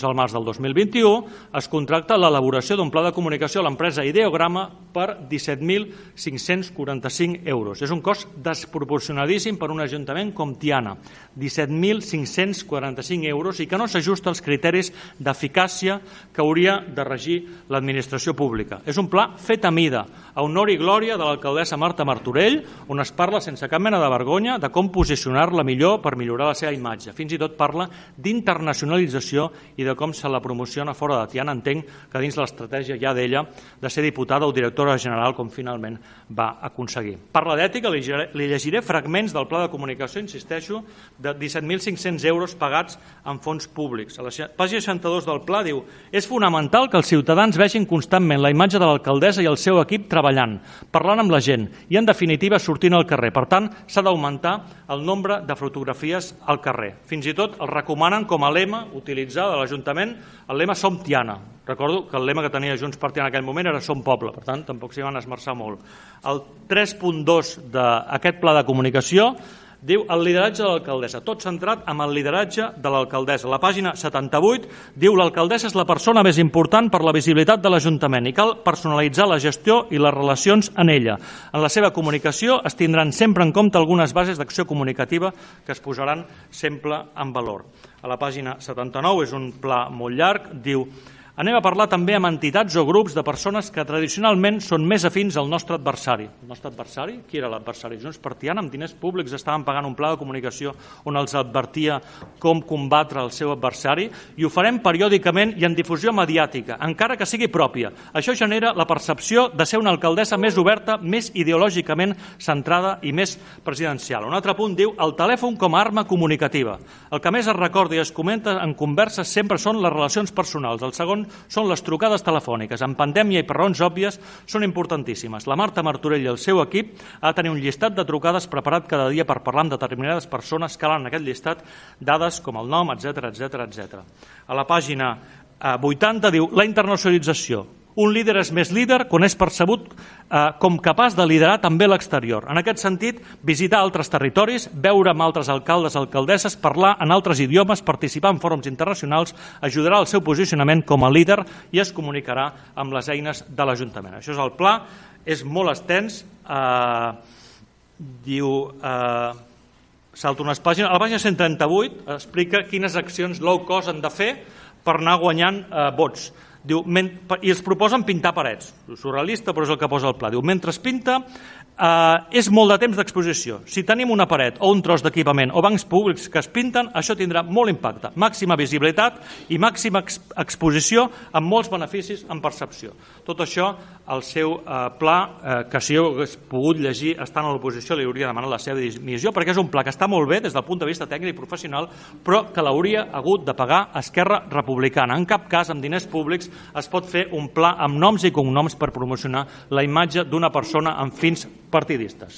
Al març del 2021 es contracta l'elaboració d'un pla de comunicació a l'empresa Ideograma per 17.545 euros. És un cost desproporcionadíssim per un ajuntament com Tiana, 17.545 euros, i que no s'ajusta als criteris d'eficàcia que hauria de regir l'administració pública. És un pla fet a mida, a honor i glòria de l'alcaldessa Marta Martorell, on es parla sense cap mena de vergonya de com posicionar-la millor per millorar la seva imatge. Fins i tot parla d'internacionalització i de com se la promociona fora de Tiana. Entenc que dins l'estratègia ja d'ella de ser diputada o directora general, com finalment va aconseguir. Parla d'ètica, li llegiré fragments del pla de comunicació, insisteixo, de 17.500 euros pagats en fons públics. A la pàgina 62 del pla diu: és fonamental que els ciutadans vegin constantment la imatge de l'alcaldessa i el seu equip treballant, parlant amb la gent i, en definitiva, sortint al carrer. Per tant, s'ha d'augmentar el nombre de fotografies al carrer. Fins i tot el recomanen com a lema utilitzar de l'Ajuntament el lema Som Tiana. Recordo que el lema que tenia Junts per Tiana en aquell moment era Som Poble, per tant, tampoc s'hi van esmerçar molt. El 3.2 d'aquest pla de comunicació diu el lideratge de l'alcaldessa, tot centrat en el lideratge de l'alcaldessa. La pàgina 78 diu l'alcaldessa és la persona més important per la visibilitat de l'Ajuntament i cal personalitzar la gestió i les relacions en ella. En la seva comunicació es tindran sempre en compte algunes bases d'acció comunicativa que es posaran sempre en valor. A la pàgina 79, és un pla molt llarg, diu: anem a parlar també amb entitats o grups de persones que tradicionalment són més afins al nostre adversari. El nostre adversari? Qui era l'adversari? Junts per Tiana, amb diners públics, estaven pagant un pla de comunicació on els advertia com combatre el seu adversari, i ho farem periòdicament i en difusió mediàtica, encara que sigui pròpia. Això genera la percepció de ser una alcaldessa més oberta, més ideològicament centrada i més presidencial. Un altre punt diu el telèfon com a arma comunicativa. El que més es recorda i es comenta en converses sempre són les relacions personals. El segon són les trucades telefòniques. En pandèmia i per raons òbvies són importantíssimes. La Marta Martorell i el seu equip ha de tenir un llistat de trucades preparat cada dia per parlar amb determinades persones, calen en aquest llistat dades com el nom, etc. A la pàgina 80 diu la internacionalització. Un líder és més líder quan és percebut com capaç de liderar també l'exterior. En aquest sentit, visitar altres territoris, veure amb altres alcaldes, alcaldesses, parlar en altres idiomes, participar en fòrums internacionals, ajudarà al seu posicionament com a líder i es comunicarà amb les eines de l'Ajuntament. Això és el pla, és molt extens, diu... salto unes pàgines. A la pàgina 138 explica quines accions low cost han de fer per anar guanyant vots. Diu, i els proposen pintar parets. Surrealista, però és el que posa el pla. Diu, mentre es pinta, és molt de temps d'exposició. Si tenim una paret o un tros d'equipament o bancs públics que es pinten, això tindrà molt impacte. Màxima visibilitat i màxima exposició amb molts beneficis en percepció. Tot això, el seu pla, que si ho hagués pogut llegir estant a l'oposició, li hauria demanat la seva dimissió, perquè és un pla que està molt bé des del punt de vista tècnic i professional, però que l'hauria hagut de pagar Esquerra Republicana. En cap cas, amb diners públics, es pot fer un pla amb noms i cognoms per promocionar la imatge d'una persona amb fins partidistes.